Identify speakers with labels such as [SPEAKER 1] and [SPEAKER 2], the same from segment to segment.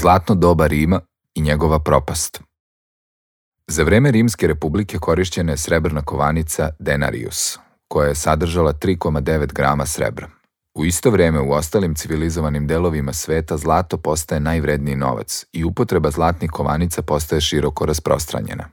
[SPEAKER 1] Zlatno doba Rima i njegova propast. Za vreme Rimske republike korišćena je srebrna kovanica denarius, koja je sadržala 3,9 grama srebra. U isto vreme u ostalim civilizovanim delovima sveta zlato postaje najvredniji novac i upotreba zlatnih kovanica postaje široko rasprostranjena.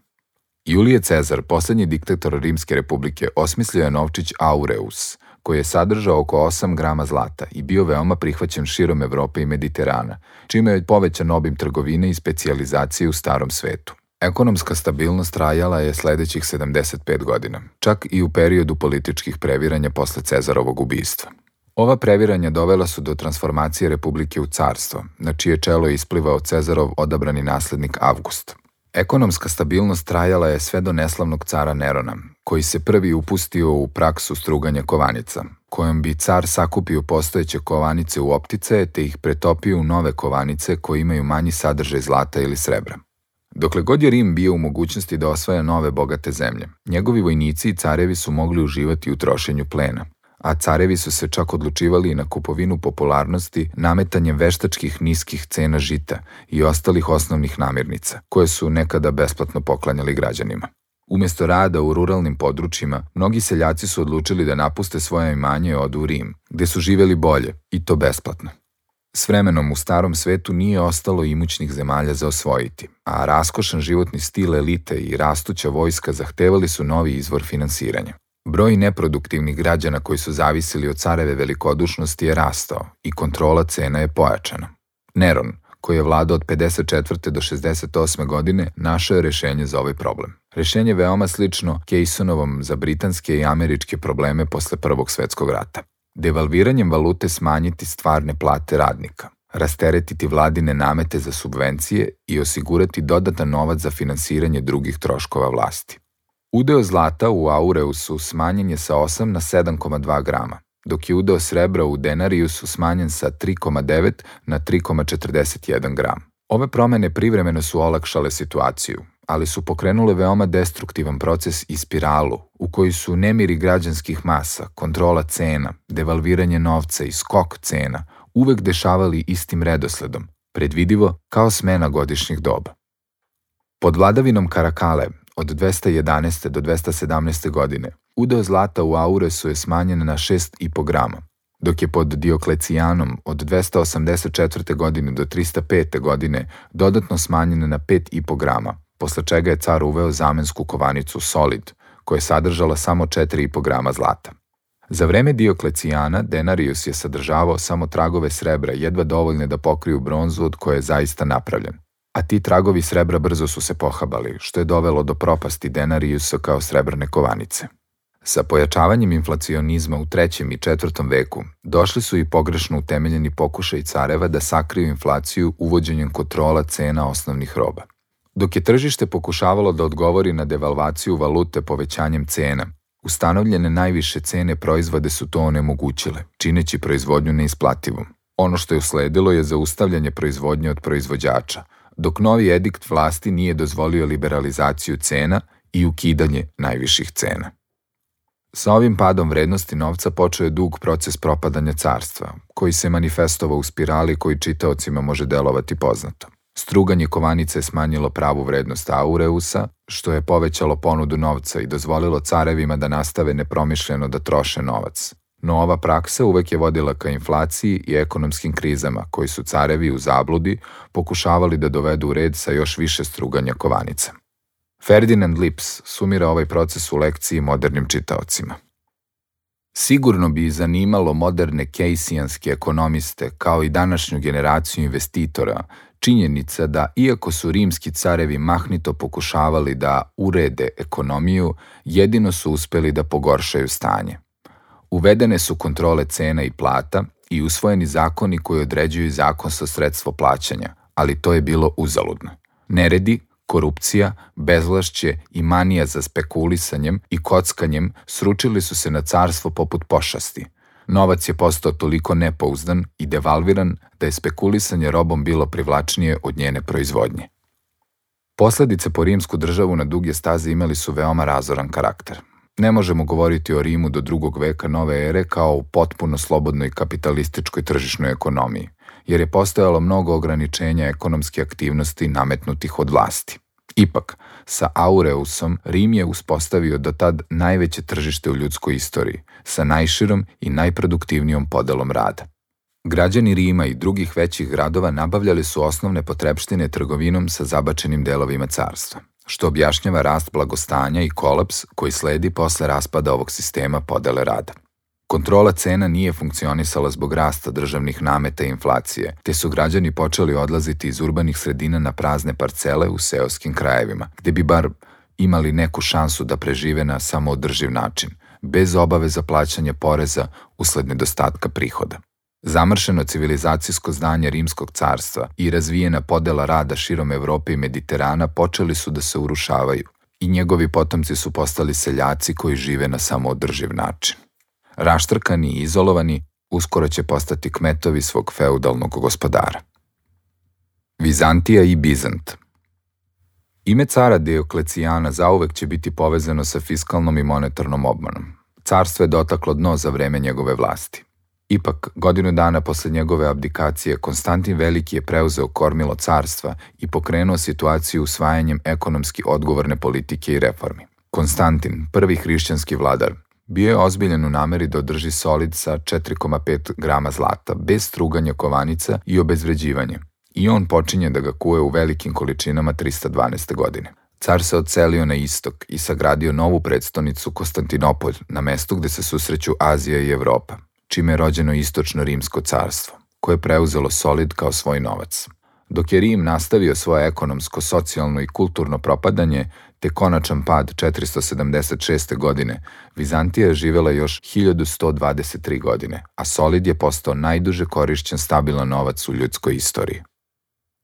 [SPEAKER 1] Julije Cezar, poslednji diktator Rimske republike, osmislio je novčić aureus, koji je sadržao oko 8 grama zlata i bio veoma prihvaćen širom Evrope i Mediterana, čime je povećan obim trgovine i specijalizacije u starom svetu. Ekonomska stabilnost trajala je sledećih 75 godina, čak i u periodu političkih previranja posle Cezarovog ubistva. Ova previranja dovela su do transformacije republike u carstvo, na čije čelo je isplivao Cezarov odabrani naslednik Avgust. Ekonomska stabilnost trajala je sve do neslavnog cara Nerona, koji se prvi upustio u praksu struganja kovanica, kojom bi car sakupio postojeće kovanice u opticaje te ih pretopio u nove kovanice koje imaju manji sadržaj zlata ili srebra. Dokle god je Rim bio u mogućnosti da osvaja nove bogate zemlje, njegovi vojnici i carevi su mogli uživati u trošenju plena, a carevi su se čak odlučivali na kupovinu popularnosti nametanjem veštačkih niskih cena žita i ostalih osnovnih namirnica, koje su nekada besplatno poklanjali građanima. Umjesto rada u ruralnim područjima, mnogi seljaci su odlučili da napuste svoje imanje i odu u Rim, gde su živjeli bolje, i to besplatno. S vremenom u starom svetu nije ostalo imućnih zemalja za osvojiti, a raskošan životni stil elite i rastuća vojska zahtevali su novi izvor finansiranja. Broj neproduktivnih građana koji su zavisili od careve velikodušnosti je rastao i kontrola cena je pojačana. Neron, koji je vladao od 54. do 68. godine, našao je rešenje za ovaj problem. Rešenje je veoma slično Keynesovom za britanske i američke probleme posle Prvog svetskog rata. Devalviranjem valute smanjiti stvarne plate radnika, rasteretiti vladine namete za subvencije i osigurati dodatan novac za finansiranje drugih troškova vlasti. Udeo zlata u aureusu smanjen je sa 8 na 7,2 grama, dok je udeo srebra u denariusu smanjen sa 3,9 na 3,41 gram. Ove promene privremeno su olakšale situaciju, ali su pokrenule veoma destruktivan proces i spiralu u kojoj su nemiri građanskih masa, kontrola cena, devalviranje novca i skok cena uvek dešavali istim redosledom, predvidivo kao smena godišnjih doba. Pod vladavinom Karakale od 211. do 217. godine udeo zlata u auresu je smanjen na 6,5 grama, dok je pod Dioklecijanom od 284. godine do 305. godine dodatno smanjen na 5,5 grama, posle čega je car uveo zamensku kovanicu solid, koja je sadržala samo 4,5 grama zlata. Za vreme Dioklecijana denarius je sadržavao samo tragove srebra, jedva dovoljne da pokriju bronzu od koje je zaista napravljen. A ti tragovi srebra brzo su se pohabali, što je dovelo do propasti denariusa kao srebrne kovanice. Sa pojačavanjem inflacionizma u 3. i 4. veku došli su i pogrešno utemeljeni pokušaj careva da sakriju inflaciju uvođenjem kontrola cena osnovnih roba. Dok je tržište pokušavalo da odgovori na devalvaciju valute povećanjem cena, ustanovljene najviše cene proizvode su to onemogućile, čineći proizvodnju neisplativom. Ono što je usledilo je zaustavljanje proizvodnje od proizvođača, dok novi edikt vlasti nije dozvolio liberalizaciju cena i ukidanje najviših cena. Sa ovim padom vrednosti novca počeo je dug proces propadanja carstva, koji se manifestovao u spirali koji čitaocima može delovati poznato. Struganje kovanice je smanjilo pravu vrednost aureusa, što je povećalo ponudu novca i dozvolilo carevima da nastave nepromišljeno da troše novac. No ova praksa uvek je vodila ka inflaciji i ekonomskim krizama, koji su carevi u zabludi pokušavali da dovedu u red sa još više struganja kovanica. Ferdinand Lips sumira ovaj proces u lekciji modernim čitaocima. Sigurno bi zanimalo moderne kejsijanske ekonomiste, kao i današnju generaciju investitora, činjenica da, iako su rimski carevi mahnito pokušavali da urede ekonomiju, jedino su uspeli da pogoršaju stanje. Uvedene su kontrole cena i plata i usvojeni zakoni koji određuju zakonsko sredstvo plaćanja, ali to je bilo uzaludno. Neredi, korupcija, bezvlašće i manija za spekulisanjem i kockanjem sručili su se na carstvo poput pošasti. Novac je postao toliko nepouzdan i devalviran da je spekulisanje robom bilo privlačnije od njene proizvodnje. Posledice po rimsku državu na duge staze imali su veoma razoran karakter. Ne možemo govoriti o Rimu do 2. veka nove ere kao o potpuno slobodnoj kapitalističkoj tržišnoj ekonomiji. jer je postojalo mnogo ograničenja ekonomske aktivnosti nametnutih od vlasti. Ipak, sa Aureusom Rim je uspostavio do tad najveće tržište u ljudskoj istoriji, sa najširom i najproduktivnijom podelom rada. Građani Rima i drugih većih gradova nabavljali su osnovne potrepštine trgovinom sa zabačenim delovima carstva, što objašnjava rast blagostanja i kolaps koji sledi posle raspada ovog sistema podele rada. Kontrola cena nije funkcionisala zbog rasta državnih nameta i inflacije, te su građani počeli odlaziti iz urbanih sredina na prazne parcele u seoskim krajevima, gde bi bar imali neku šansu da prežive na samoodrživ način, bez obaveza plaćanja poreza usled nedostatka prihoda. Zamršeno civilizacijsko zdanje Rimskog carstva i razvijena podela rada širom Evrope i Mediterana počeli su da se urušavaju i njegovi potomci su postali seljaci koji žive na samoodrživ način. Raštrkani i izolovani, uskoro će postati kmetovi svog feudalnog gospodara. Vizantija i Bizant. Ime cara Dioklecijana zauvek će biti povezano sa fiskalnom i monetarnom obmanom. Carstvo je dotaklo dno za vreme njegove vlasti. Ipak, godinu dana posle njegove abdikacije, Konstantin Veliki je preuzeo kormilo carstva i pokrenuo situaciju usvajanjem ekonomski odgovorne politike i reformi. Konstantin, prvi hrišćanski vladar, bio je ozbiljan u nameri da održi solid sa 4,5 grama zlata, bez struganja kovanica i obezvređivanja, i on počinje da ga kuje u velikim količinama 312. godine. Car se odselio na istok i sagradio novu prestonicu Konstantinopolj na mestu gde se susreću Azija i Evropa, čime je rođeno Istočno Rimsko carstvo, koje je preuzelo solid kao svoj novac. Dok je Rim nastavio svoje ekonomsko, socijalno i kulturno propadanje, te konačan pad 476. godine, Vizantija je živela još 1123 godine, a solid je postao najduže korišćen stabilan novac u ljudskoj istoriji.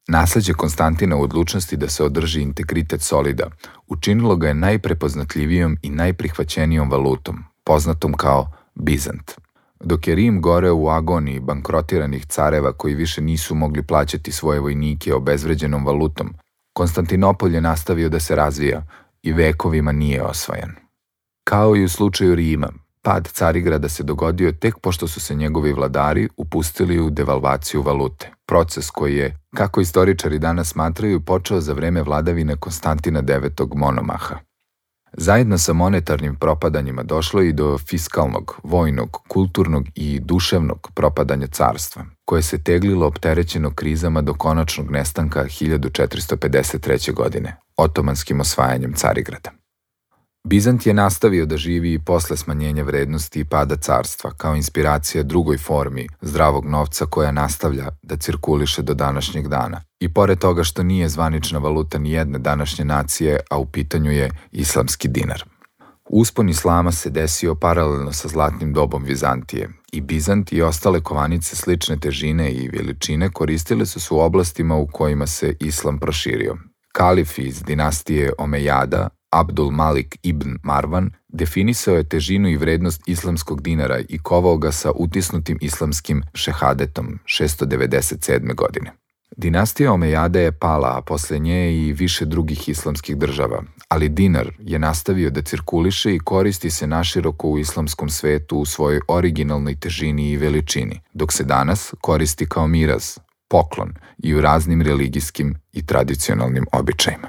[SPEAKER 1] Nasleđe Konstantina u odlučnosti da se održi integritet solida učinilo ga je najprepoznatljivijom i najprihvaćenijom valutom, poznatom kao Bizant. Dok je Rim goreo u agoniji bankrotiranih careva koji više nisu mogli plaćati svoje vojnike obezvređenom valutom, Konstantinopolj je nastavio da se razvija i vekovima nije osvajan. Kao i u slučaju Rima, pad Carigrada se dogodio tek pošto su se njegovi vladari upustili u devalvaciju valute, proces koji je, kako istoričari danas smatraju, počeo za vreme vladavine Konstantina IX. Monomaha. Zajedno sa monetarnim propadanjima došlo i do fiskalnog, vojnog, kulturnog i duševnog propadanja carstva, koje se teglilo opterećeno krizama do konačnog nestanka 1453. godine, otomanskim osvajanjem Carigrada. Bizant je nastavio da živi i posle smanjenja vrednosti i pada carstva, kao inspiracija drugoj formi zdravog novca koja nastavlja da cirkuliše do današnjeg dana. I pored toga što nije zvanična valuta ni jedne današnje nacije, a u pitanju je islamski dinar. Uspon islama se desio paralelno sa zlatnim dobom Vizantije i Bizant i ostale kovanice slične težine i veličine koristile su se u oblastima u kojima se islam proširio. Kalif iz dinastije Omejada, Abdul Malik ibn Marwan, definisao je težinu i vrednost islamskog dinara i kovao ga sa utisnutim islamskim šehadetom 697. godine. Dinastija Omejada je pala, a posle nje i više drugih islamskih država, ali dinar je nastavio da cirkuliše i koristi se naširoko u islamskom svetu u svojoj originalnoj težini i veličini, dok se danas koristi kao miraz, poklon i u raznim religijskim i tradicionalnim običajima.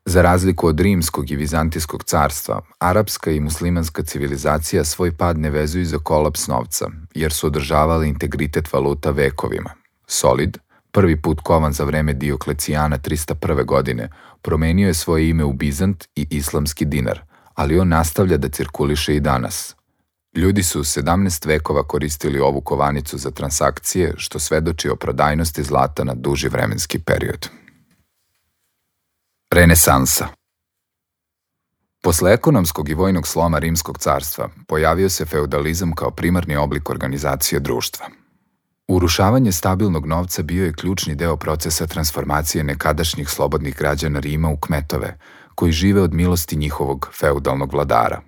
[SPEAKER 1] Za razliku od rimskog i vizantijskog carstva, arapska i muslimanska civilizacija svoj pad ne vezuju za kolaps novca, jer su održavali integritet valuta vekovima. Solid, prvi put kovan za vreme Dioklecijana 301. godine, promenio je svoje ime u Bizant i islamski dinar, ali on nastavlja da cirkuliše i danas. Ljudi su 17 vekova koristili ovu kovanicu za transakcije, što svedoči o prodajnosti zlata na duži vremenski period. Renesansa. Posle ekonomskog i vojnog sloma Rimskog carstva pojavio se feudalizam kao primarni oblik organizacije društva. Urušavanje stabilnog novca bio je ključni deo procesa transformacije nekadašnjih slobodnih građana Rima u kmetove, koji žive od milosti njihovog feudalnog vladara.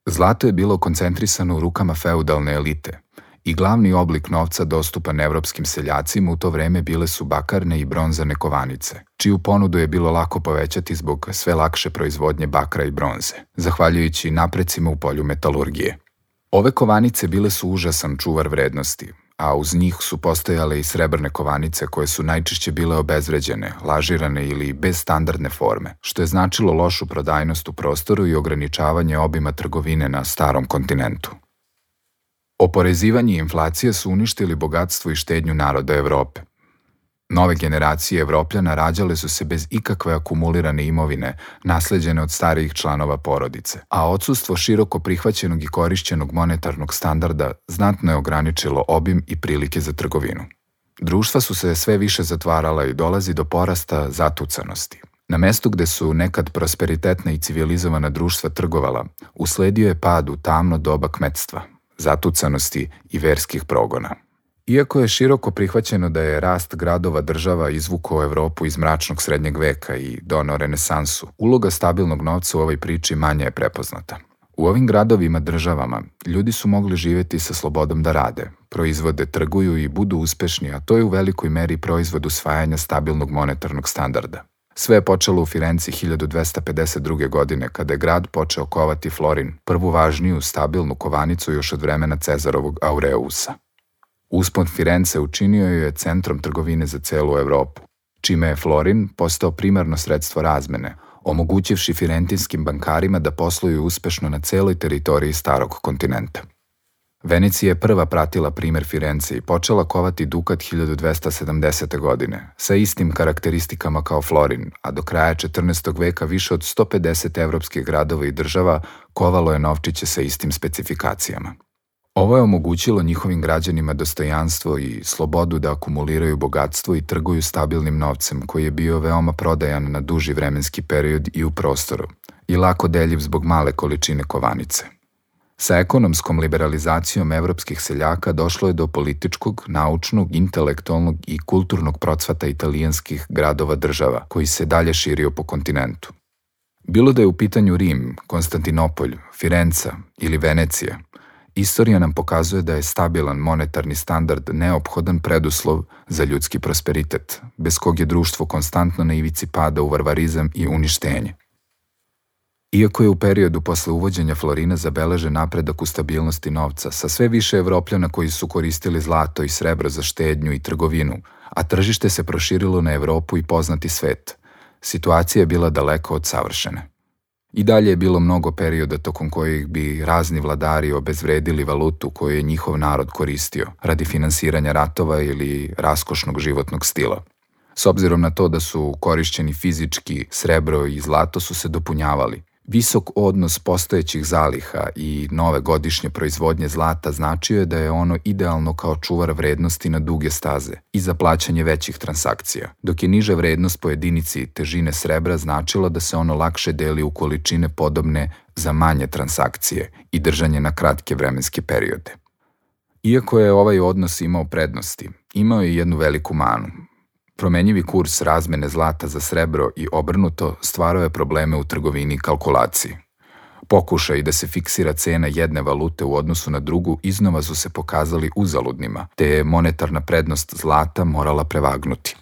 [SPEAKER 1] Zlato je bilo koncentrisano u rukama feudalne elite i glavni oblik novca dostupan evropskim seljacima u to vreme bile su bakarne i bronzane kovanice, čiju ponudu je bilo lako povećati zbog sve lakše proizvodnje bakra i bronze, zahvaljujući naprecima u polju metalurgije. Ove kovanice bile su užasan čuvar vrednosti, a uz njih su postojale i srebrne kovanice koje su najčešće bile obezvređene, lažirane ili bez standardne forme, što je značilo lošu prodajnost u prostoru i ograničavanje obima trgovine na starom kontinentu. Oporezivanje i inflacija su uništili bogatstvo i štednju naroda Evrope. Nove generacije Evropljana rađale su se bez ikakve akumulirane imovine, nasleđene od starijih članova porodice, a odsustvo široko prihvaćenog i korišćenog monetarnog standarda znatno je ograničilo obim i prilike za trgovinu. Društva su se sve više zatvarala i dolazi do porasta zatucanosti. Na mestu gde su nekad prosperitetna i civilizovana društva trgovala, usledio je pad u tamno doba kmetstva, zatucanosti i verskih progona. Iako je široko prihvaćeno da je rast gradova država izvukao Evropu iz mračnog srednjeg veka i doneo renesansu, uloga stabilnog novca u ovoj priči manje je prepoznata. U ovim gradovima državama ljudi su mogli živjeti sa slobodom da rade, proizvode, trguju i budu uspešni, a to je u velikoj meri proizvod usvajanja stabilnog monetarnog standarda. Sve je počelo u Firenci 1252. godine, kada je grad počeo kovati florin, prvu važniju stabilnu kovanicu još od vremena Cezarovog Aureusa. Uspon Firence učinio je centrom trgovine za celu Evropu, čime je florin postao primarno sredstvo razmene, omogućivši firentinskim bankarima da posluju uspešno na celoj teritoriji starog kontinenta. Venecija je prva pratila primer Firence i počela kovati dukat 1270. godine, sa istim karakteristikama kao florin, a do kraja 14. veka više od 150 evropskih gradova i država kovalo je novčiće sa istim specifikacijama. Ovo je omogućilo njihovim građanima dostojanstvo i slobodu da akumuliraju bogatstvo i trguju stabilnim novcem koji je bio veoma prodajan na duži vremenski period i u prostoru i lako deljiv zbog male količine kovanice. Sa ekonomskom liberalizacijom evropskih seljaka došlo je do političkog, naučnog, intelektualnog i kulturnog procvata italijanskih gradova država koji se dalje širio po kontinentu. Bilo da je u pitanju Rim, Konstantinopolj, Firenca ili Venecija, istorija nam pokazuje da je stabilan monetarni standard neophodan preduslov za ljudski prosperitet, bez kog je društvo konstantno na ivici pada u varvarizam i uništenje. Iako je u periodu posle uvođenja florina zabeležen napredak u stabilnosti novca, sa sve više Evropljana koji su koristili zlato i srebro za štednju i trgovinu, a tržište se proširilo na Evropu i poznati svet, situacija je bila daleko od savršene. I dalje je bilo mnogo perioda tokom kojih bi razni vladari obezvredili valutu koju je njihov narod koristio radi finansiranja ratova ili raskošnog životnog stila. S obzirom na to da su korišćeni fizički srebro i zlato su se dopunjavali. Visok odnos postojećih zaliha i nove godišnje proizvodnje zlata značio je da je ono idealno kao čuvar vrednosti na duge staze i za plaćanje većih transakcija, dok je niža vrednost po jedinici težine srebra značila da se ono lakše deli u količine podobne za manje transakcije i držanje na kratke vremenske periode. Iako je ovaj odnos imao prednosti, imao je jednu veliku manu. Promenjivi kurs razmene zlata za srebro i obrnuto stvarao je probleme u trgovini i kalkulaciji. Pokušaj da se fiksira cena jedne valute u odnosu na drugu iznova su se pokazali uzaludnima, te je monetarna prednost zlata morala prevagnuti.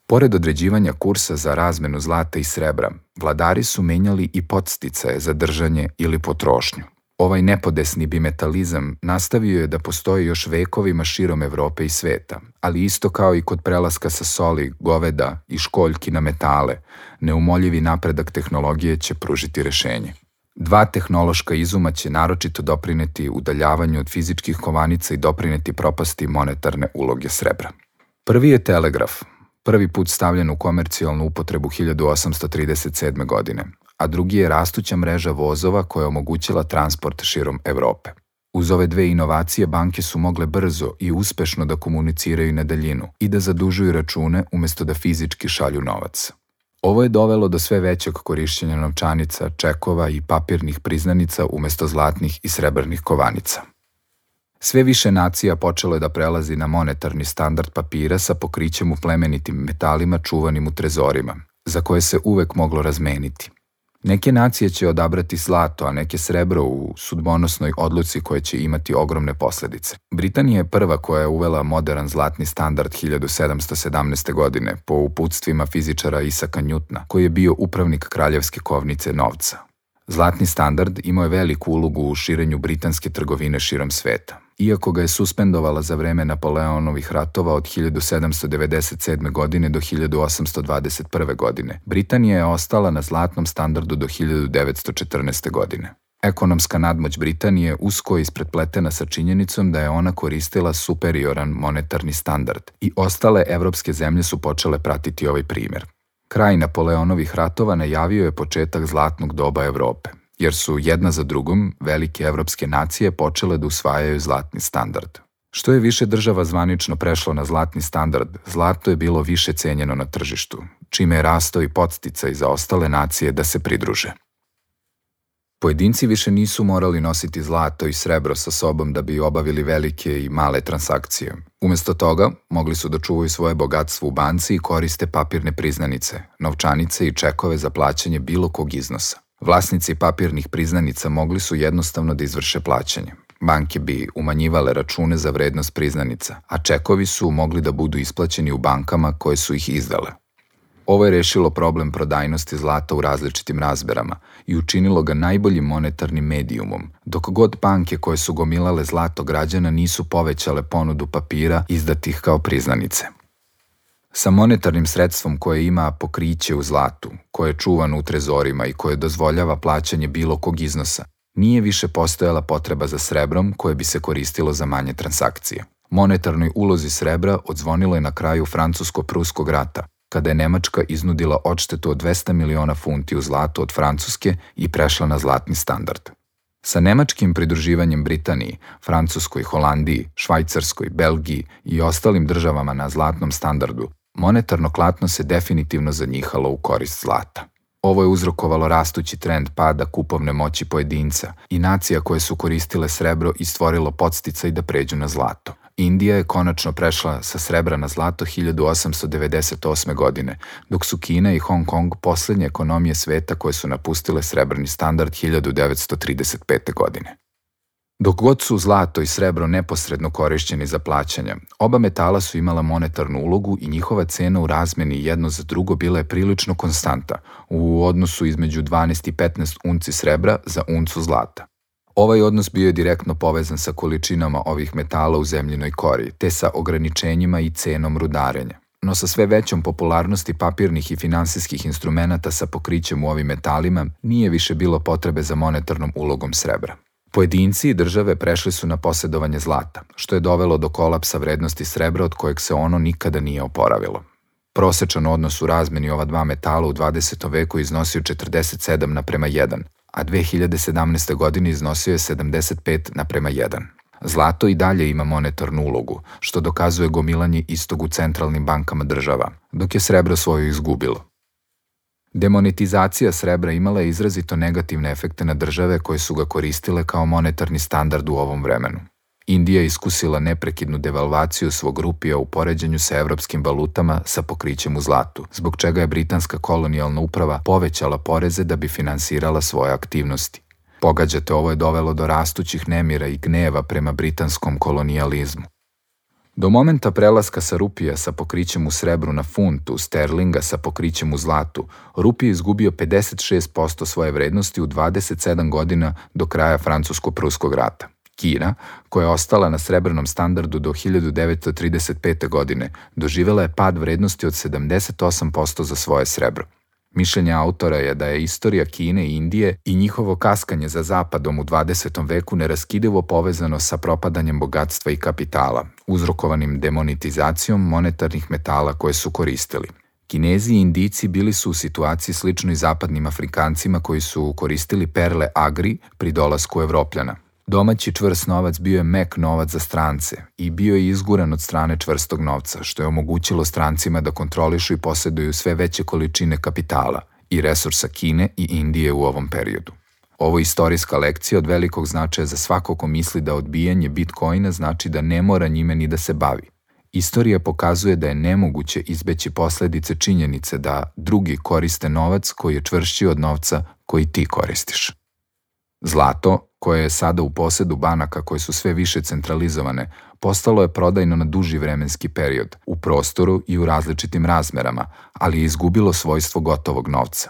[SPEAKER 1] Pored određivanja kursa za razmenu zlata i srebra, vladari su menjali i podsticaje za držanje ili potrošnju. Ovaj nepodesni bimetalizam nastavio je da postoji još vekovima širom Evrope i sveta, ali isto kao i kod prelaska sa soli, goveda i školjki na metale, neumoljivi napredak tehnologije će pružiti rešenje. Dva tehnološka izuma će naročito doprineti udaljavanju od fizičkih kovanica i doprineti propasti monetarne uloge srebra. Prvi je telegraf, prvi put stavljen u komercijalnu upotrebu 1837. godine, a drugi je rastuća mreža vozova koja je omogućila transport širom Evrope. Uz ove dve inovacije banke su mogle brzo i uspešno da komuniciraju na daljinu i da zadužuju račune umesto da fizički šalju novac. Ovo je dovelo do sve većeg korišćenja novčanica, čekova i papirnih priznanica umesto zlatnih i srebrnih kovanica. Sve više nacija počelo je da prelazi na monetarni standard papira sa pokrićem u plemenitim metalima čuvanim u trezorima, za koje se uvek moglo razmeniti. Neke nacije će odabrati zlato, a neke srebro u sudbonosnoj odluci koje će imati ogromne posledice. Britanija je prva koja je uvela modern zlatni standard 1717. godine po uputstvima fizičara Isaka Njutna, koji je bio upravnik kraljevske kovnice novca. Zlatni standard imao je veliku ulogu u širenju britanske trgovine širom sveta. Iako ga je suspendovala za vreme Napoleonovih ratova od 1797. godine do 1821. godine, Britanija je ostala na zlatnom standardu do 1914. godine. Ekonomska nadmoć Britanije usko je isprepletena sa činjenicom da je ona koristila superioran monetarni standard i ostale evropske zemlje su počele pratiti ovaj primjer. Kraj Napoleonovih ratova najavio je početak zlatnog doba Evrope, jer su jedna za drugom velike evropske nacije počele da usvajaju zlatni standard. Što je više država zvanično prešlo na zlatni standard, zlato je bilo više cenjeno na tržištu, čime je rastao i podsticaj za ostale nacije da se pridruže. Pojedinci više nisu morali nositi zlato i srebro sa sobom da bi obavili velike i male transakcije. Umesto toga, mogli su da čuvaju svoje bogatstvo u banci i koriste papirne priznanice, novčanice i čekove za plaćanje bilo kog iznosa. Vlasnici papirnih priznanica mogli su jednostavno da izvrše plaćanje. Banke bi umanjivale račune za vrednost priznanica, a čekovi su mogli da budu isplaćeni u bankama koje su ih izdale. Ovo je rešilo problem prodajnosti zlata u različitim razmerama i učinilo ga najboljim monetarnim medijumom, dok god banke koje su gomilale zlato građana nisu povećale ponudu papira izdatih kao priznanice. Sa monetarnim sredstvom koje ima pokriće u zlatu, koje je čuvano u trezorima i koje dozvoljava plaćanje bilo kog iznosa, nije više postojala potreba za srebrom koje bi se koristilo za manje transakcije. Monetarnoj ulozi srebra odzvonilo je na kraju Francusko-Pruskog rata, kada je Nemačka iznudila odštetu od 200 miliona funti u zlatu od Francuske i prešla na zlatni standard. Sa nemačkim pridruživanjem Britaniji, Francuskoj, Holandiji, Švajcarskoj, Belgiji i ostalim državama na zlatnom standardu, monetarno klatno se definitivno zanjihalo u korist zlata. Ovo je uzrokovalo rastući trend pada kupovne moći pojedinca i nacija koje su koristile srebro i stvorilo podsticaj da pređu na zlato. Indija je konačno prešla sa srebra na zlato 1898. godine, dok su Kina i Hong Kong poslednje ekonomije sveta koje su napustile srebrni standard 1935. godine. Dok god su zlato i srebro neposredno korišćeni za plaćanja, oba metala su imala monetarnu ulogu i njihova cena u razmeni jedno za drugo bila je prilično konstanta u odnosu između 12 i 15 unci srebra za uncu zlata. Ovaj odnos bio je direktno povezan sa količinama ovih metala u zemljinoj kori, te sa ograničenjima i cenom rudarenja. No sa sve većom popularnosti papirnih i finansijskih instrumenata sa pokrićem u ovim metalima nije više bilo potrebe za monetarnom ulogom srebra. Pojedinci i države prešli su na posedovanje zlata, što je dovelo do kolapsa vrednosti srebra od kojeg se ono nikada nije oporavilo. Prosečan odnos u razmeni ova dva metala u 20. veku iznosio 47:1, a 2017. godine iznosio je 75:1. Zlato i dalje ima monetarnu ulogu, što dokazuje gomilanje istog u centralnim bankama država, dok je srebro svoju izgubilo. Demonetizacija srebra imala je izrazito negativne efekte na države koje su ga koristile kao monetarni standard u ovom vremenu. Indija je iskusila neprekidnu devalvaciju svog rupija u poređenju sa evropskim valutama sa pokrićem u zlatu, zbog čega je britanska kolonijalna uprava povećala poreze da bi finansirala svoje aktivnosti. Pogađate, ovo je dovelo do rastućih nemira i gneva prema britanskom kolonijalizmu. Do momenta prelaska sa rupija sa pokrićem u srebru na funtu, sterlinga sa pokrićem u zlatu, rupij je izgubio 56% svoje vrednosti u 27 godina do kraja Francusko-Pruskog rata. Kina, koja je ostala na srebrnom standardu do 1935. godine, doživela je pad vrednosti od 78% za svoje srebro. Mišljenje autora je da je istorija Kine i Indije i njihovo kaskanje za zapadom u 20. veku neraskidivo povezano sa propadanjem bogatstva i kapitala, uzrokovanim demonetizacijom monetarnih metala koje su koristili. Kinezi i Indijci bili su u situaciji sličnoj zapadnim Afrikancima koji su koristili perle agri pri dolasku Evropljana. Domaći čvrst novac bio je mek novac za strance i bio je izguran od strane čvrstog novca, što je omogućilo strancima da kontrolišu i posjeduju sve veće količine kapitala i resursa Kine i Indije u ovom periodu. Ovo je istorijska lekcija od velikog značaja za svako ko misli da odbijanje Bitcoina znači da ne mora njime ni da se bavi. Istorija pokazuje da je nemoguće izbeći posledice činjenice da drugi koriste novac koji je čvršći od novca koji ti koristiš. Zlato, koje je sada u posedu banaka koje su sve više centralizovane, postalo je prodajno na duži vremenski period, u prostoru i u različitim razmerama, ali je izgubilo svojstvo gotovog novca.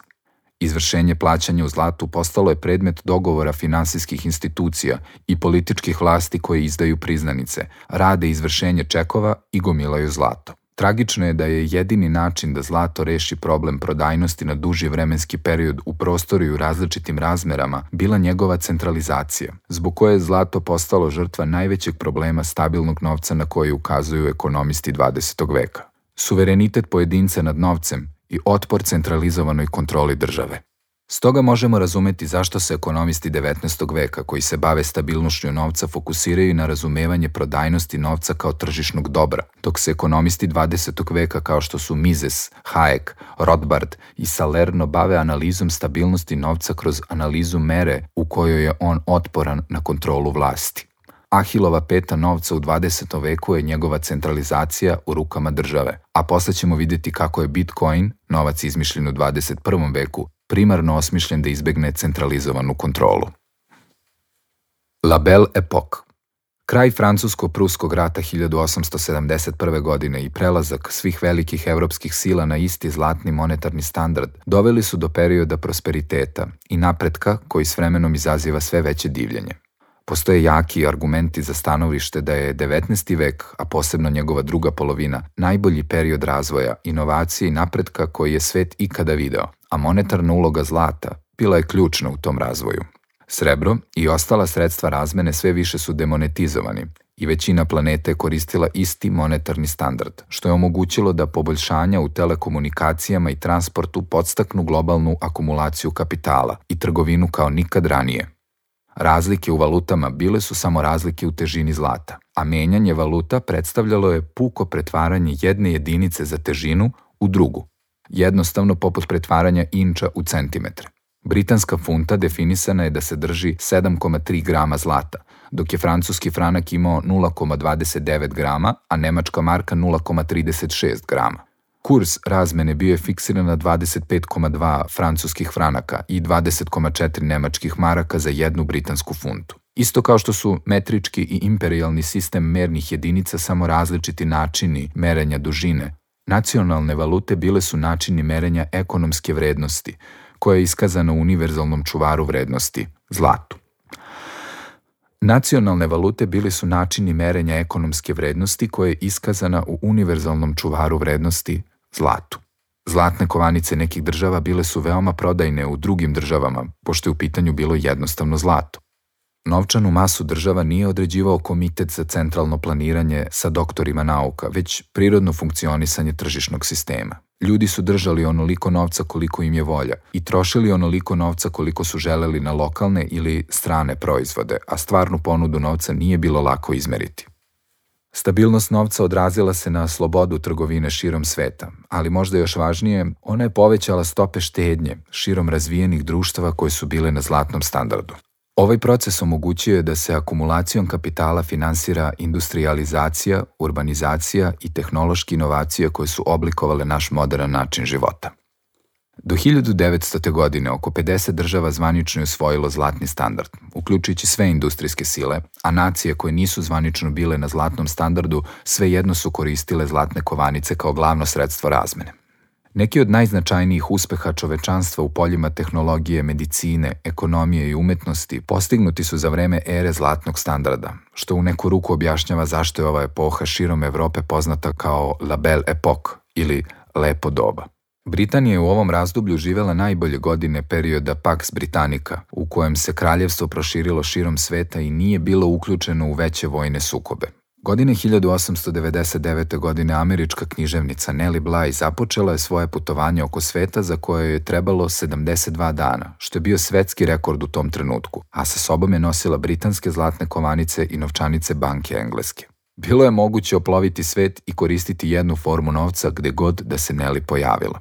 [SPEAKER 1] Izvršenje plaćanja u zlatu postalo je predmet dogovora finansijskih institucija i političkih vlasti koje izdaju priznanice, rade izvršenje čekova i gomilaju zlato. Tragično je da je jedini način da zlato reši problem prodajnosti na duži vremenski period u prostoru i u različitim razmerama bila njegova centralizacija, zbog koje je zlato postalo žrtva najvećeg problema stabilnog novca na koji ukazuju ekonomisti 20. veka. Suverenitet pojedinca nad novcem i otpor centralizovanoj kontroli države. Stoga možemo razumeti zašto se ekonomisti 19. veka koji se bave stabilnošću novca fokusiraju na razumevanje prodajnosti novca kao tržišnog dobra, dok se ekonomisti 20. veka kao što su Mises, Hayek, Rothbard i Salerno bave analizom stabilnosti novca kroz analizu mere u kojoj je on otporan na kontrolu vlasti. Ahilova peta novca u 20. veku je njegova centralizacija u rukama države, a posle ćemo vidjeti kako je Bitcoin, novac izmišljen u 21. veku, primarno osmišljen da izbegne centralizovanu kontrolu. La Belle Époque. Kraj Francusko-Pruskog rata 1871. godine i prelazak svih velikih evropskih sila na isti zlatni monetarni standard doveli su do perioda prosperiteta i napretka koji s vremenom izaziva sve veće divljenje. Postoje jaki argumenti za stanovište da je 19. vek, a posebno njegova druga polovina, najbolji period razvoja, inovacije i napretka koji je svet ikada video, a monetarna uloga zlata bila je ključna u tom razvoju. Srebro i ostala sredstva razmene sve više su demonetizovani i većina planete je koristila isti monetarni standard, što je omogućilo da poboljšanja u telekomunikacijama i transportu podstaknu globalnu akumulaciju kapitala i trgovinu kao nikad ranije. Razlike u valutama bile su samo razlike u težini zlata, a menjanje valuta predstavljalo je puko pretvaranje jedne jedinice za težinu u drugu, jednostavno poput pretvaranja inča u centimetre. Britanska funta definisana je da se drži 7,3 grama zlata, dok je francuski franak imao 0,29 grama, a nemačka marka 0,36 grama. Kurs razmene bio je fiksiran na 25,2 francuskih franaka i 20,4 nemačkih maraka za jednu britansku funtu. Isto kao što su metrički i imperijalni sistem mernih jedinica samo različiti načini merenja dužine, nacionalne valute bile su načini merenja ekonomske vrednosti, koja je iskazana u univerzalnom čuvaru vrednosti, zlatu. Nacionalne valute bili su načini merenja ekonomske vrednosti koja je iskazana u univerzalnom čuvaru vrednosti, zlatu. Zlatne kovanice nekih država bile su veoma prodajne u drugim državama, pošto je u pitanju bilo jednostavno zlato. Novčanu masu država nije određivao komitet za centralno planiranje sa doktorima nauka, već prirodno funkcionisanje tržišnog sistema. Ljudi su držali onoliko novca koliko im je volja i trošili onoliko novca koliko su želeli na lokalne ili strane proizvode, a stvarnu ponudu novca nije bilo lako izmeriti. Stabilnost novca odrazila se na slobodu trgovine širom sveta, ali možda još važnije, ona je povećala stope štednje širom razvijenih društava koje su bile na zlatnom standardu. Ovaj proces omogućio je da se akumulacijom kapitala finansira industrijalizacija, urbanizacija i tehnološke inovacije koje su oblikovale naš modern način života. Do 1900. godine oko 50 država zvanično je usvojilo zlatni standard, uključujući sve industrijske sile, a nacije koje nisu zvanično bile na zlatnom standardu svejedno su koristile zlatne kovanice kao glavno sredstvo razmene. Neki od najznačajnijih uspeha čovečanstva u poljima tehnologije, medicine, ekonomije i umetnosti postignuti su za vreme ere zlatnog standarda, što u neku ruku objašnjava zašto je ova epoha širom Evrope poznata kao La Belle Époque ili lepo doba. Britanija je u ovom razdoblju živela najbolje godine perioda Pax Britannica, u kojem se kraljevstvo proširilo širom sveta i nije bilo uključeno u veće vojne sukobe. Godine 1899. godine američka književnica Nellie Bly započela je svoje putovanje oko sveta za koje je trebalo 72 dana, što je bio svetski rekord u tom trenutku, a sa sobom je nosila britanske zlatne kovanice i novčanice banke engleske. Bilo je moguće oploviti svet i koristiti jednu formu novca gde god da se Nellie pojavila.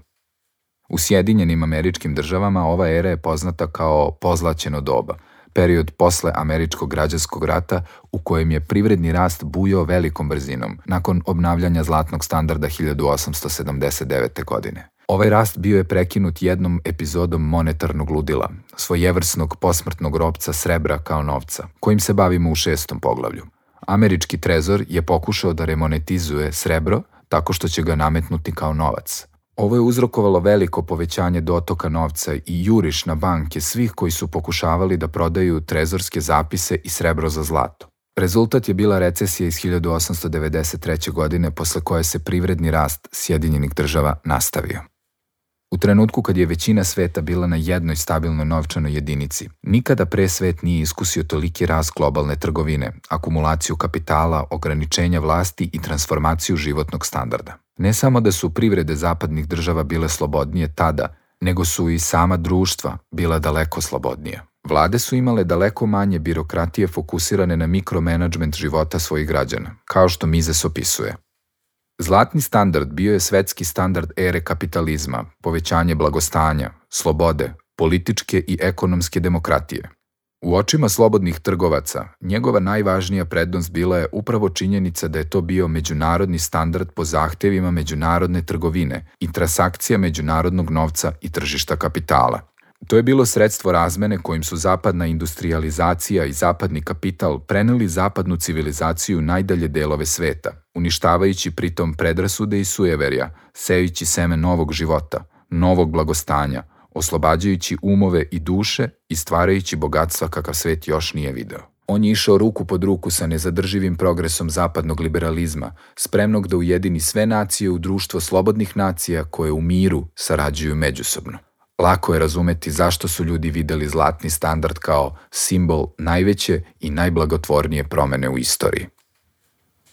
[SPEAKER 1] U Sjedinjenim Američkim Državama ova era je poznata kao pozlaćeno doba, period posle Američkog građanskog rata u kojem je privredni rast bujao velikom brzinom nakon obnavljanja zlatnog standarda 1879. godine. Ovaj rast bio je prekinut jednom epizodom monetarnog ludila, svojevrsnog posmrtnog ropca srebra kao novca, kojim se bavimo u 6. poglavlju. Američki trezor je pokušao da remonetizuje srebro tako što će ga nametnuti kao novac. Ovo je uzrokovalo veliko povećanje dotoka novca i juriš na banke svih koji su pokušavali da prodaju trezorske zapise i srebro za zlato. Rezultat je bila recesija iz 1893. godine, posle koje se privredni rast Sjedinjenih Država nastavio. U trenutku kad je većina sveta bila na jednoj stabilnoj novčanoj jedinici, nikada pre svet nije iskusio toliki rast globalne trgovine, akumulaciju kapitala, ograničenja vlasti i transformaciju životnog standarda. Ne samo da su privrede zapadnih država bile slobodnije tada, nego su i sama društva bila daleko slobodnija. Vlade su imale daleko manje birokratije fokusirane na mikromenadžment života svojih građana, kao što Mises opisuje. Zlatni standard bio je svetski standard ere kapitalizma, povećanje blagostanja, slobode, političke i ekonomske demokratije. U očima slobodnih trgovaca, njegova najvažnija prednost bila je upravo činjenica da je to bio međunarodni standard po zahtevima međunarodne trgovine i transakcija međunarodnog novca i tržišta kapitala. To je bilo sredstvo razmene kojim su zapadna industrijalizacija i zapadni kapital preneli zapadnu civilizaciju u najdalje delove sveta, uništavajući pritom predrasude i sujeverja, sejući seme novog života, novog blagostanja, oslobađajući umove i duše i stvarajući bogatstva kakav svet još nije video. On je išao ruku pod ruku sa nezadrživim progresom zapadnog liberalizma, spremnog da ujedini sve nacije u društvo slobodnih nacija koje u miru sarađuju međusobno. Lako je razumeti zašto su ljudi videli zlatni standard kao simbol najveće i najblagotvornije promene u istoriji.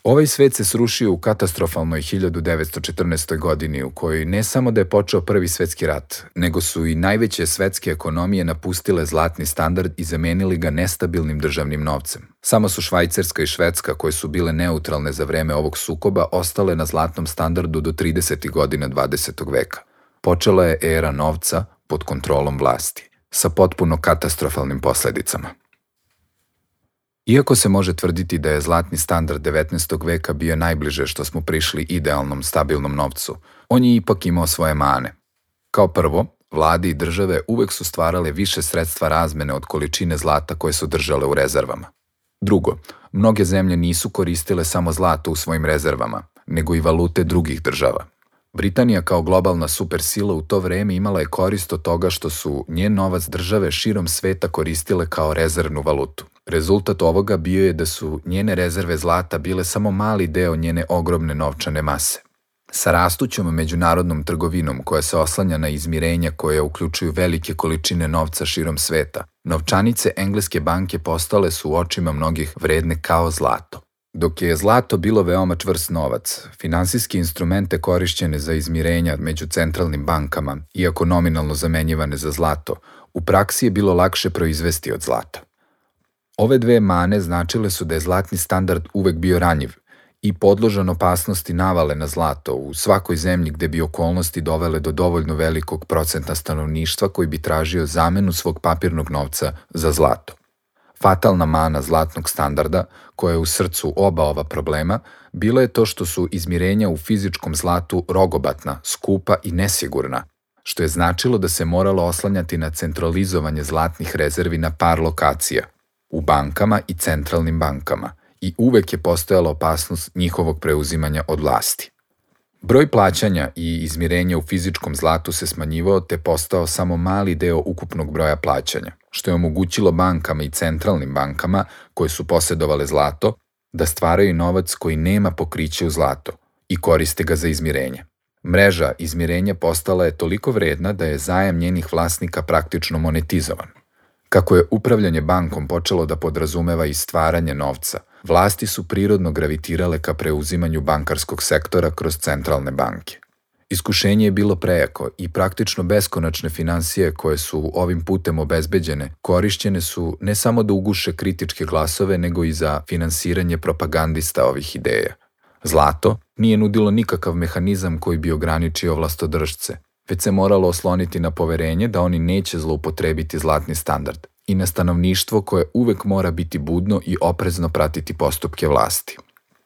[SPEAKER 1] Ovaj svet se srušio u katastrofalnoj 1914. godini u kojoj ne samo da je počeo Prvi svetski rat, nego su i najveće svetske ekonomije napustile zlatni standard i zamenili ga nestabilnim državnim novcem. Samo su Švajcarska i Švedska, koje su bile neutralne za vreme ovog sukoba, ostale na zlatnom standardu do 30. godina 20. veka. Počela je era novca pod kontrolom vlasti, sa potpuno katastrofalnim posledicama. Iako se može tvrditi da je zlatni standard 19. veka bio najbliže što smo prišli idealnom, stabilnom novcu, on je ipak imao svoje mane. Kao prvo, vlade i države uvek su stvarale više sredstva razmene od količine zlata koje su držale u rezervama. Drugo, mnoge zemlje nisu koristile samo zlato u svojim rezervama, nego i valute drugih država. Britanija kao globalna supersila u to vreme imala je korist od toga što su njen novac države širom sveta koristile kao rezervnu valutu. Rezultat ovoga bio je da su njene rezerve zlata bile samo mali deo njene ogromne novčane mase. Sa rastućom međunarodnom trgovinom koja se oslanja na izmirenja koje uključuju velike količine novca širom sveta, novčanice engleske banke postale su u očima mnogih vredne kao zlato. Dok je zlato bilo veoma čvrst novac, finansijske instrumente korišćene za izmirenja među centralnim bankama, iako nominalno zamenjivane za zlato, u praksi je bilo lakše proizvesti od zlata. Ove dve mane značile su da je zlatni standard uvek bio ranjiv i podložan opasnosti navale na zlato u svakoj zemlji gde bi okolnosti dovele do dovoljno velikog procenta stanovništva koji bi tražio zamenu svog papirnog novca za zlato. Fatalna mana zlatnog standarda, koja je u srcu oba ova problema, bila je to što su izmirenja u fizičkom zlatu rogobatna, skupa i nesigurna, što je značilo da se moralo oslanjati na centralizovanje zlatnih rezervi na par lokacija, u bankama i centralnim bankama, i uvek je postojala opasnost njihovog preuzimanja od vlasti. Broj plaćanja i izmirenja u fizičkom zlatu se smanjivao te postao samo mali deo ukupnog broja plaćanja, što je omogućilo bankama i centralnim bankama, koje su posjedovale zlato, da stvaraju novac koji nema pokriće u zlato i koriste ga za izmirenje. Mreža izmirenja postala je toliko vredna da je zajam njenih vlasnika praktično monetizovan. Kako je upravljanje bankom počelo da podrazumeva i stvaranje novca, vlasti su prirodno gravitirale ka preuzimanju bankarskog sektora kroz centralne banke. Iskušenje je bilo prejako i praktično beskonačne finansije koje su ovim putem obezbeđene korišćene su ne samo da uguše kritičke glasove, nego i za finansiranje propagandista ovih ideja. Zlato nije nudilo nikakav mehanizam koji bi ograničio vlastodržce, već se moralo osloniti na poverenje da oni neće zloupotrebiti zlatni standard i na stanovništvo koje uvek mora biti budno i oprezno pratiti postupke vlasti.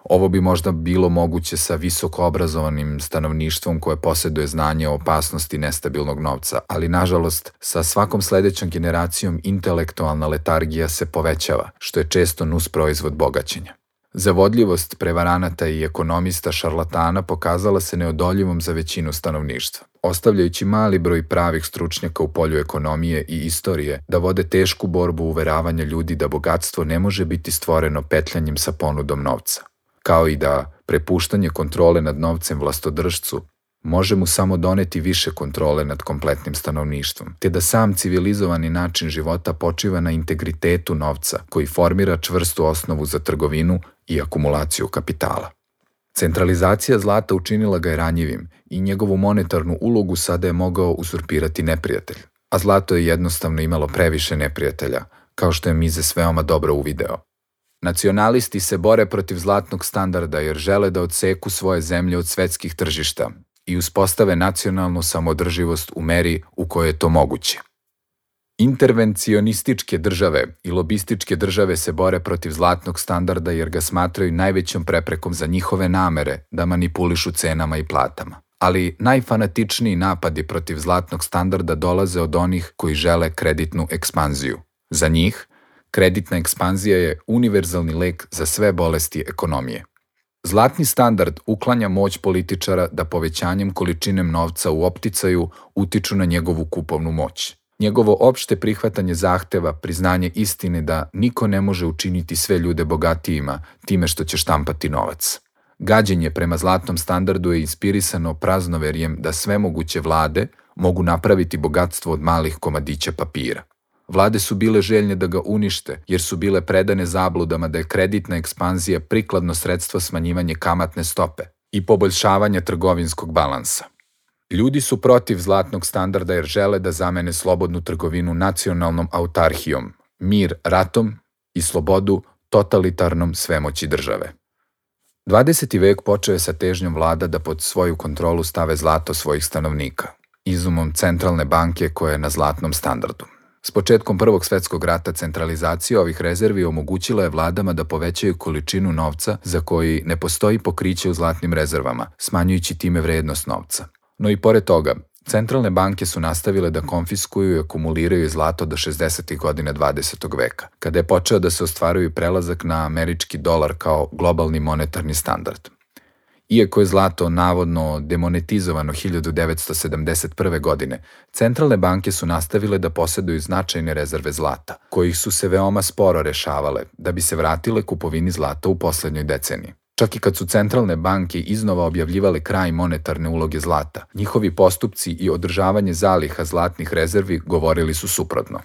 [SPEAKER 1] Ovo bi možda bilo moguće sa visoko obrazovanim stanovništvom koje posjeduje znanje o opasnosti nestabilnog novca, ali nažalost sa svakom sledećom generacijom intelektualna letargija se povećava, što je često nusproizvod bogaćenja. Zavodljivost prevaranata i ekonomista šarlatana pokazala se neodoljivom za većinu stanovništva, ostavljajući mali broj pravih stručnjaka u polju ekonomije i istorije da vode tešku borbu uveravanja ljudi da bogatstvo ne može biti stvoreno petljanjem sa ponudom novca, kao i da prepuštanje kontrole nad novcem vlastodržcu može mu samo doneti više kontrole nad kompletnim stanovništvom, te da sam civilizovani način života počiva na integritetu novca koji formira čvrstu osnovu za trgovinu i akumulaciju kapitala. Centralizacija zlata učinila ga je ranjivim i njegovu monetarnu ulogu sada je mogao uzurpirati neprijatelj, a zlato je jednostavno imalo previše neprijatelja, kao što je Mises veoma dobro uvideo. Nacionalisti se bore protiv zlatnog standarda jer žele da odseku svoje zemlje od svetskih tržišta i uspostave nacionalnu samoodrživost u meri u kojoj je to moguće. Intervencionističke države i lobističke države se bore protiv zlatnog standarda jer ga smatraju najvećom preprekom za njihove namere da manipulišu cenama i platama. Ali najfanatičniji napadi protiv zlatnog standarda dolaze od onih koji žele kreditnu ekspanziju. Za njih, kreditna ekspanzija je univerzalni lek za sve bolesti ekonomije. Zlatni standard uklanja moć političara da povećanjem količine novca u opticaju utiču na njegovu kupovnu moć. Njegovo opšte prihvatanje zahteva priznanje istine da niko ne može učiniti sve ljude bogatijima time što će štampati novac. Gađenje prema zlatnom standardu je inspirisano praznoverjem da sve moguće vlade mogu napraviti bogatstvo od malih komadića papira. Vlade su bile željne da ga unište jer su bile predane zabludama da je kreditna ekspanzija prikladno sredstvo smanjivanja kamatne stope i poboljšavanja trgovinskog balansa. Ljudi su protiv zlatnog standarda jer žele da zamene slobodnu trgovinu nacionalnom autarhijom, mir ratom i slobodu totalitarnom svemoći države. 20. vek počeo je sa težnjom vlada da pod svoju kontrolu stave zlato svojih stanovnika, izumom centralne banke koja je na zlatnom standardu. S početkom Prvog svetskog rata centralizacija ovih rezervi omogućila je vladama da povećaju količinu novca za koji ne postoji pokriće u zlatnim rezervama, smanjujući time vrednost novca. No i pored toga, centralne banke su nastavile da konfiskuju i akumuliraju zlato do 60. godina 20. veka, kada je počeo da se ostvaruje prelazak na američki dolar kao globalni monetarni standard. Iako je zlato navodno demonetizovano 1971. godine, centralne banke su nastavile da poseduju značajne rezerve zlata, kojih su se veoma sporo rešavale da bi se vratile kupovini zlata u poslednjoj deceniji. Čak i kad su centralne banke iznova objavljivale kraj monetarne uloge zlata, njihovi postupci i održavanje zaliha zlatnih rezervi govorili su suprotno.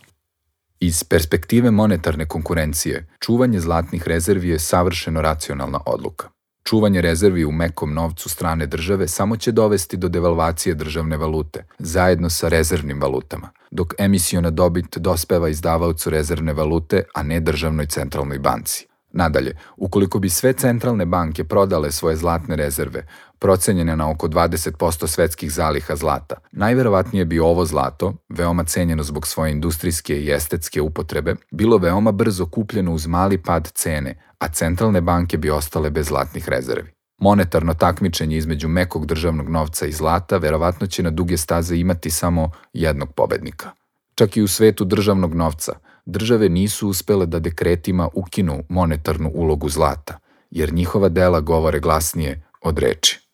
[SPEAKER 1] Iz perspektive monetarne konkurencije, čuvanje zlatnih rezervi je savršeno racionalna odluka. Čuvanje rezervi u mekom novcu strane države samo će dovesti do devalvacije državne valute, zajedno sa rezervnim valutama, dok emisiona dobit dospeva izdavaocu rezervne valute, a ne državnoj centralnoj banci. Nadalje, ukoliko bi sve centralne banke prodale svoje zlatne rezerve, procenjene na oko 20% svetskih zaliha zlata, najverovatnije bi ovo zlato, veoma cenjeno zbog svoje industrijske i estetske upotrebe, bilo veoma brzo kupljeno uz mali pad cene, a centralne banke bi ostale bez zlatnih rezervi. Monetarno takmičenje između mekog državnog novca i zlata verovatno će na duge staze imati samo jednog pobednika. Čak i u svetu državnog novca, države nisu uspele da dekretima ukinu monetarnu ulogu zlata, jer njihova dela govore glasnije od reči.